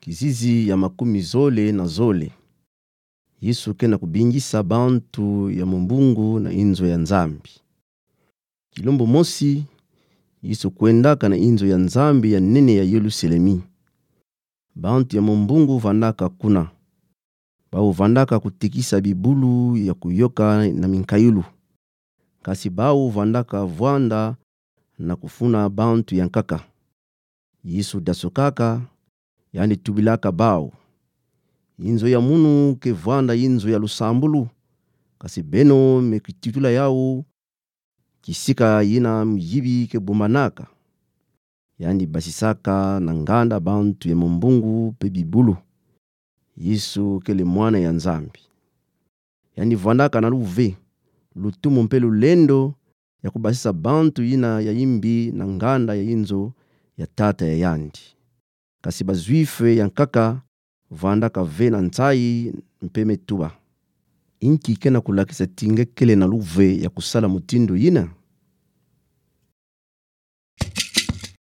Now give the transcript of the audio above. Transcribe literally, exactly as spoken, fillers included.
Kizizi ya makumi zole na zole. Yesu ke na kubingisa bantu ya mumbungu na inzo ya Nzambi. Kilumbu mosi, Yesu kwendaka na inzo ya Nzambi ya nene ya Yelusalemi. Bantu ya mumbungu vandaka kuna. Bawu vandaka kutekisa bibulu ya kuyoka na minkayulu. Kasi bawu vandaka vwanda na kufuna bantu ya nkaka. Yesu dasukaka, yandi tubilaka bawu: Inzo ya munu ke vwanda inzo ya lusambulu, kasi beno me kititula yawu kisika yina muyibi ke bumbanaka. Yandi basisaka na nganda bantu ya mumbungu pe bibulu. Yesu kele Mwana ya Nzambi. Yandi vwandaka na luve, lutumu mpe lulendo ya kubasisa bantu yina ya imbi na nganda ya inzo ya Tata ya yandi. Kasi Bazuife ya nkaka vandaka ve na nsayi mpe metuba. Inki ke na kulakisa ti nge kele na luve ya kusala mutindu yina?